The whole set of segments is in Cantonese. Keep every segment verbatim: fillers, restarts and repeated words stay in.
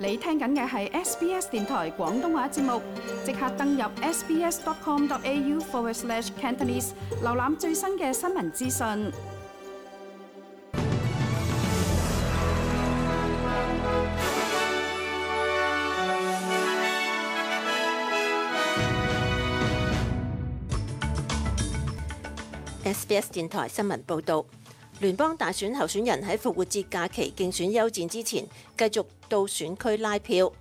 你聽緊嘅係 S B S 電台廣東話節目，即刻登入 sbs.com.au forward slash Cantonese， 瀏覽最新嘅新聞資訊。S B S 電台新聞報導，聯邦大選候選人喺復活節假期競選休戰之前，繼續到選區拉票。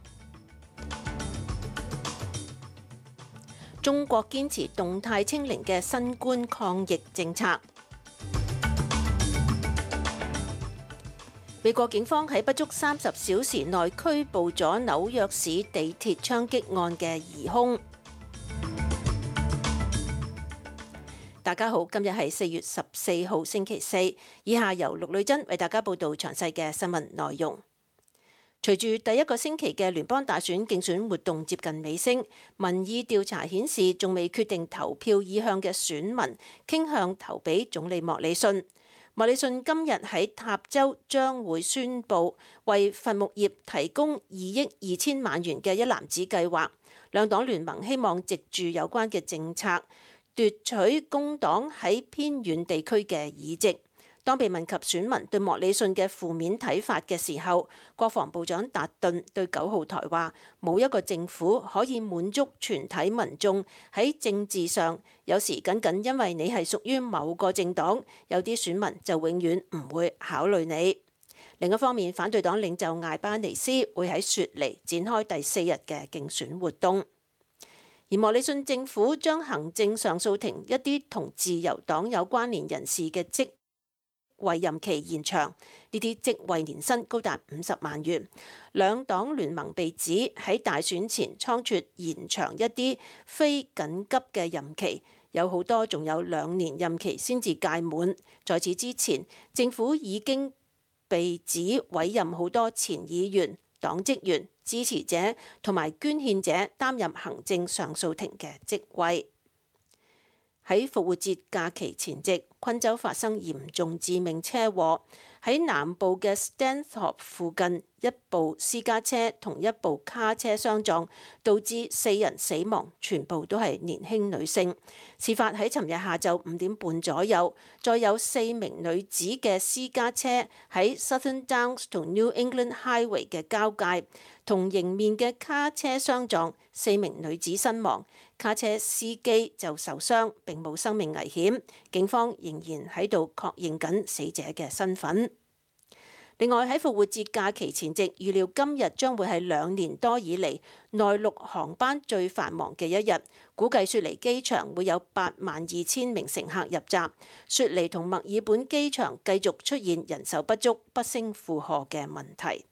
中國堅持動態清零嘅新冠抗疫政策。美國警方喺不足三十小時內拘捕咗紐約市地鐵槍擊案嘅疑兇。大家好，今日係四月十四號星期四，以下由陸女珍為大家報道詳細嘅新聞內容。隨住第一個星期嘅聯邦大選競選活動接近尾聲，民意調查顯示仲未決定投票意向嘅選民傾向投俾總理莫里遜。莫里遜今日喺塔州將會宣布為伐木業提供二億二千萬元嘅一籃子計劃，兩黨聯盟希望藉住有關嘅政策奪取工黨喺偏遠地區嘅議席。當被問及選民對莫里遜嘅負面睇法嘅時候，國防部長達頓對九號台話：冇一個政府可以滿足全體民眾喺政治上，有時僅僅因為你係屬於某個政黨，有啲選民就永遠唔會考慮你。另一方面，反對黨領袖艾巴尼斯會喺雪梨展開第四日嘅競選活動。而莫里遜政府將行政上訴庭一啲同自由黨有關聯人士嘅職位任期延長，呢啲職位年薪高達五十萬元。兩黨聯盟被指喺大選前倉促延長一啲非緊急嘅任期，有好多仲有兩年任期先至屆滿。在此之前，政府已經被指委任好多前議員、黨職員、支持者同埋捐獻者擔任行政上訴庭嘅職位。喺復活節假期前夕，昆州發生嚴重致命車禍，喺南部嘅 Stanthorpe 附近，一部私家車同一部卡車相撞，導致四人死亡，全部都係年輕女性。事發喺尋日下晝五點半左右，再有四名女子嘅私家車喺 Southern Downs 同 New England Highway 嘅交界，同迎面嘅卡車相撞，四名女子身亡。卡車司機就受傷，並冇生命危險。警方仍然喺度確認緊死者嘅身份。另外喺復活節假期前夕，預料今日將會係兩年多以嚟內陸航班最繁忙嘅一日。估計雪梨機場會有八萬二千名乘客入閘。雪梨同墨爾本機場繼續出現人手不足、不勝負荷嘅問題。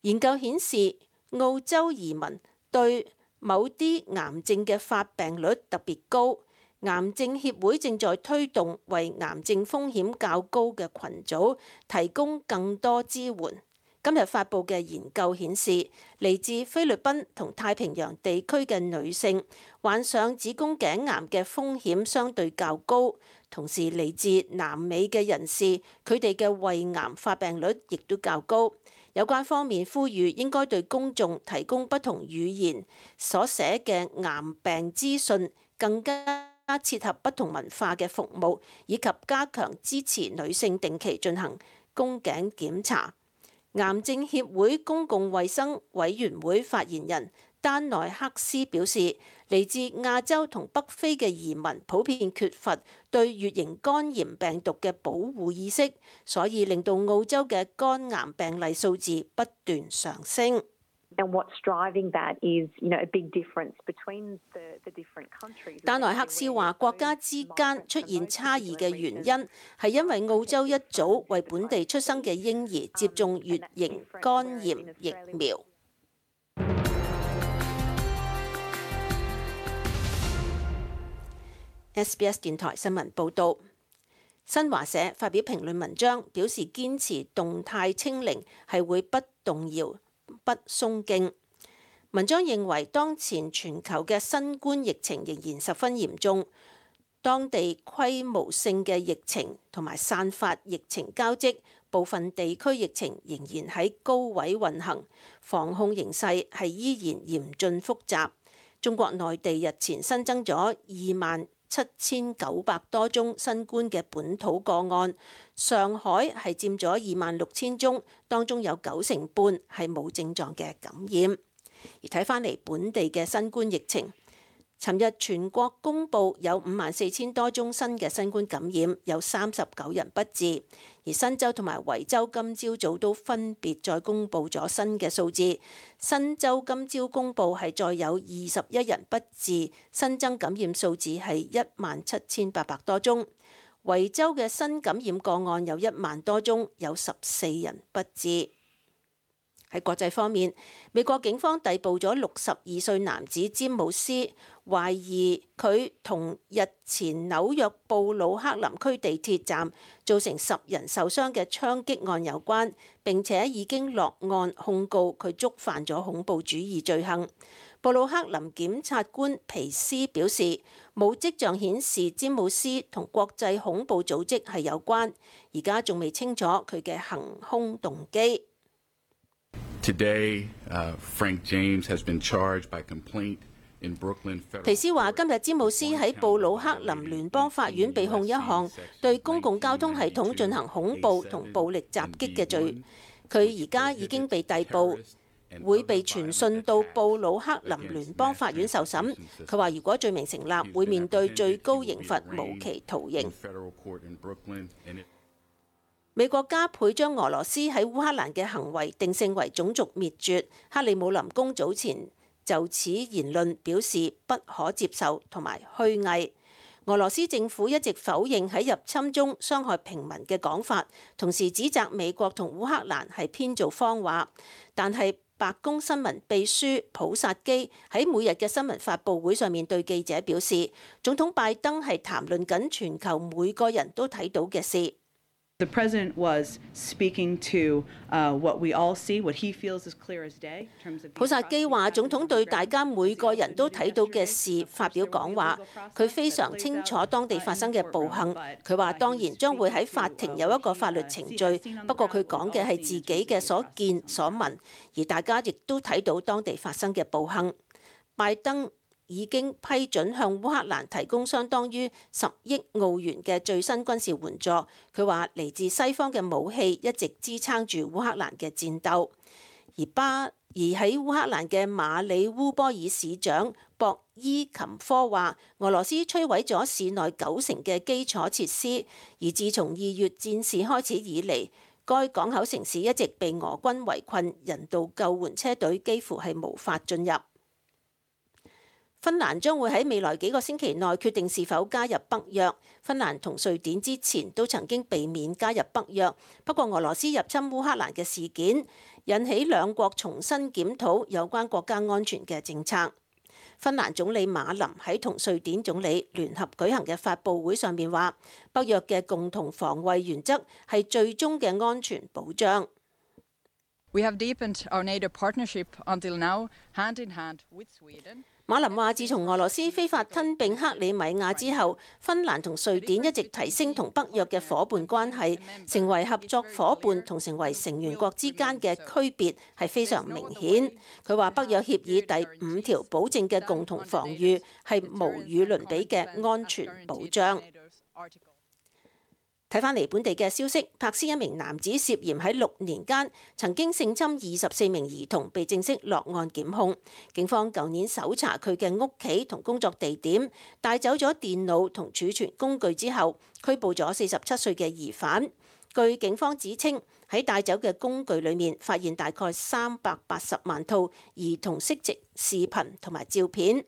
研究顯示，澳洲移民對某啲癌症嘅發病率特別高，癌症協會正在推動為癌症風險較高嘅群組提供更多支援。今日發布嘅研究顯示，嚟自菲律賓同太平洋地區嘅女性患上子宮頸癌嘅風險相對較高，同時嚟自南美嘅人士，佢哋嘅胃癌發病率亦都較高。有關方面呼籲應該對公眾提供不同語言所寫嘅癌病資訊，更加切合不同文化嘅服務，以及加強支持女性定期進行宮頸檢查。癌症協會公共衛生委員會發言人丹內克斯表示，嚟自亞洲同北非嘅移民普遍缺乏對乙型肝炎病毒嘅保護意識，所以令到澳洲嘅肝癌病例數字不斷上升。丹內克斯話：國家之間出現差異嘅原因係因為澳洲一早為本地出生嘅嬰兒接種乙型肝炎疫苗。S B S 電台新聞報導，新華社發表評論文章，表示堅持動態清零係會不動搖、不鬆勁。文章認為，當前全球嘅新冠疫情仍然十分嚴重，當地規模性嘅疫情同埋散發疫情交織，部分地區疫情仍然喺高位運行，防控形勢係依然嚴峻複雜。中國內地日前新增咗二萬七千九百多宗新冠嘅本土個案，上海係佔咗二萬六千宗，當中有九成半係冇症狀嘅感染。而睇返嚟本地嘅新冠疫情，尋日全國公布有五萬四千多宗新嘅新冠感染，有三十九人不治。而新州同埋維州今朝早都分別再公布咗新嘅數字。新州今朝公布係再有二十一人不治，新增感染數字係一萬七千八百多宗。維州嘅新感染個案有一萬多宗，有十四人不治。喺國際方面，美國警方逮捕咗六十二歲男子詹姆斯，懷疑佢同日前紐約布魯克林區地鐵站造成十人受傷嘅槍擊案有關，並且已經落案控告佢觸犯咗恐怖主義罪行。布魯克林檢察官皮斯表示，冇跡象顯示詹姆斯同國際恐怖組織係有關，而家仲未清楚佢嘅行兇動機。Today, uh, Frank James has been charged by complaint in Brooklyn. 皮斯話：今日詹姆斯喺布魯克林聯邦法院被控一項對公共交通系統進行恐怖同暴力襲擊嘅罪。佢而家已經被逮捕，會被傳訊到布魯克林聯邦法院受審。佢話：如果罪名成立，會面對最高刑罰無期徒刑。美國加倍將俄羅斯喺烏克蘭嘅行為定性為種族滅絕。克里姆林宮早前就此言論表示不可接受同埋虛偽。俄羅斯政府一直否認喺入侵中傷害平民嘅講法，同時指責美國同烏克蘭係編造謊話。但係白宮新聞秘書普薩基喺每日嘅新聞發佈會上面對記者表示，總統拜登係談論緊全球每個人都睇到嘅事。The president was speaking to uh, what we all see, what he feels is clear as day. 普薩基話：總統對大家每個人都睇到嘅事發表講話，佢非常清楚當地發生嘅暴行。佢話當然將會喺法庭有一個法律程序，不過佢講嘅係自己嘅所見所聞，而大家亦都睇到當地發生嘅暴行。拜登已經批准向烏克蘭提供相當於十億澳元嘅最新軍事援助。佢話嚟自西方嘅武器一直支撐住烏克蘭嘅戰鬥。而巴而喺烏克蘭嘅馬里烏波爾市長博伊琴科話，俄羅斯摧毀咗市內九成嘅基礎設施，而自從二月戰事開始以嚟，該港口城市一直被俄軍圍困，人道救援車隊幾乎係無法進入。芬蘭將會喺未來幾個星期內決定是否加入北約。芬蘭同瑞典之前都曾經避免加入北約，不過俄羅斯入侵烏克蘭嘅事件引起兩國重新檢討有關國家安全嘅政策。芬蘭總理馬林喺同瑞典總理聯合舉行嘅發佈會上面話，北約嘅共同防衛原則係最終嘅安全保障。We have deepened our NATO partnership until now, hand in hand with Sweden. 馬林話：自從俄羅斯非法吞併克里米亞之後，芬蘭同瑞典一直提升同北約嘅伙伴關係，成為合作伙伴同成為成員國之間嘅區別係非常明顯。佢話北約協議第五條保證嘅共同防禦係無與倫比嘅安全保障。睇返嚟本地嘅消息，柏斯一名男子涉嫌喺六年間曾經性侵二十四名兒童，被正式落案檢控。警方舊年搜查佢嘅屋企同工作地點，帶走咗電腦同儲存工具之後，拘捕咗四十七歲嘅疑犯。據警方指稱，喺帶走嘅工具裏面發現大概三百八十萬套兒童色情視頻同埋照片，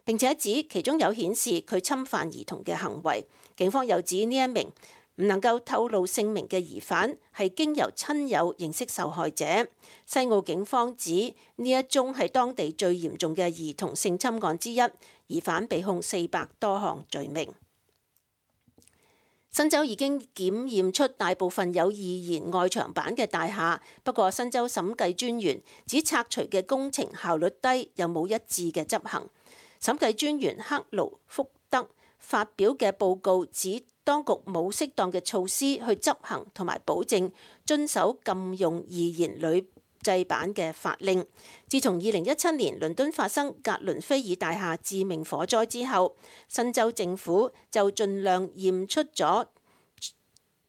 並且指其中有顯示佢侵犯兒童嘅行為。警方又指呢一名唔能夠透露姓名嘅疑犯係經由親友認識受害者。西澳警方指呢一宗係當地最嚴重嘅兒童性侵案之一，疑犯被控四百多項罪名。新州已經檢驗出大部分有易燃外牆板嘅大廈，不過新州審計專員指拆除嘅工程效率低，又冇一致嘅執行。審計專員克勞福德發表嘅報告指，當局冇適當嘅措施去執行同埋保證遵守禁用易燃鋁製板嘅法令。自從二零一七年倫敦發生格倫菲爾大廈致命火災之後，新州政府就盡量驗出咗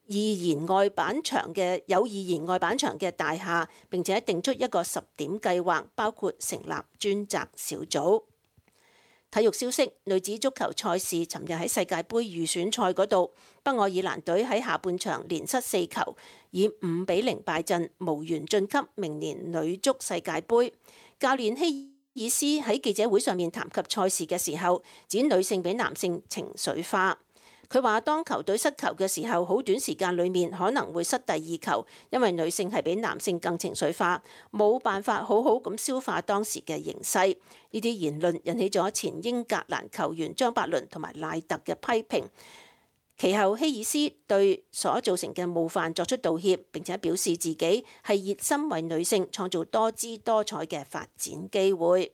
易燃外板牆嘅有易燃外板牆嘅大廈，並且定出一個十點計劃，包括成立專責小組。體育消息，女子足球賽事尋日喺世界盃預選賽嗰度，北愛爾蘭隊喺下半場連失四球，以五比零敗陣，無緣晉級明年女足世界盃。教練希爾斯喺記者會上面談及賽事嘅時候，指女性比男性情緒化。佢話：當球隊失球嘅時候，好短時間裡面可能會失第二球，因為女性係比男性更情緒化，冇辦法好好咁消化當時嘅形勢。呢啲言論引起咗前英格蘭球員張伯倫同埋賴特嘅批評。其後希爾斯對所造成嘅冒犯作出道歉，並且表示自己係熱心為女性創造多姿多彩嘅發展機會。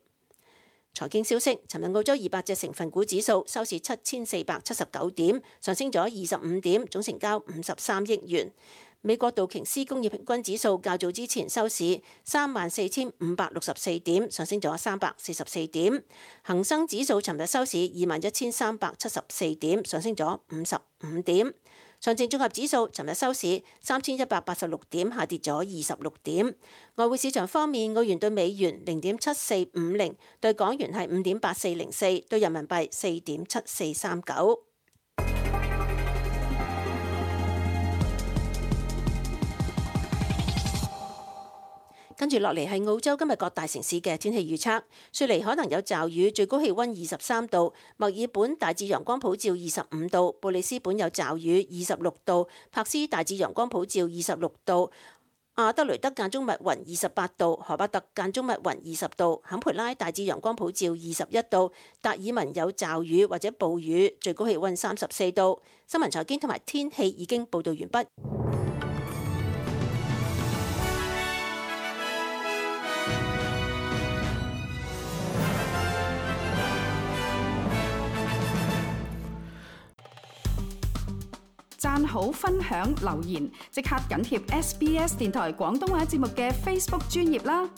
財經消息，尋日澳洲二百隻成分股指數收市七千四百七十九點，上升咗二十五點，總成交五十三億元。美國道瓊斯工業平均指數較早之前收市三萬四千五百六十四點，上升咗三百四十四點。恒生指數尋日收市二萬一千三百七十四點，上升咗五十五點。上證綜合指數尋日收市三千一百八十六點，下跌咗二十六點。外匯市場方面，澳元對美元零點七四五零，對港元係五點八四零四，對人民幣四點七四三九。跟住落嚟係澳洲今日各大城市嘅天氣預測。雪梨可能有驟雨，最高氣温二十三度；墨爾本大致陽光普照二十五度；布里斯本有驟雨二十六度；柏斯大致陽光普照二十六度；阿德雷德間中密雲二十八度；荷巴特間中密雲二十度；坎培拉大致陽光普照二十一度；達爾文有驟雨或者暴雨，最高氣温三十四度。新聞財經同埋天氣已經報導完畢。讚好、分享、留言，即刻緊貼 S B S 電台廣東話節目嘅 Facebook 專頁啦！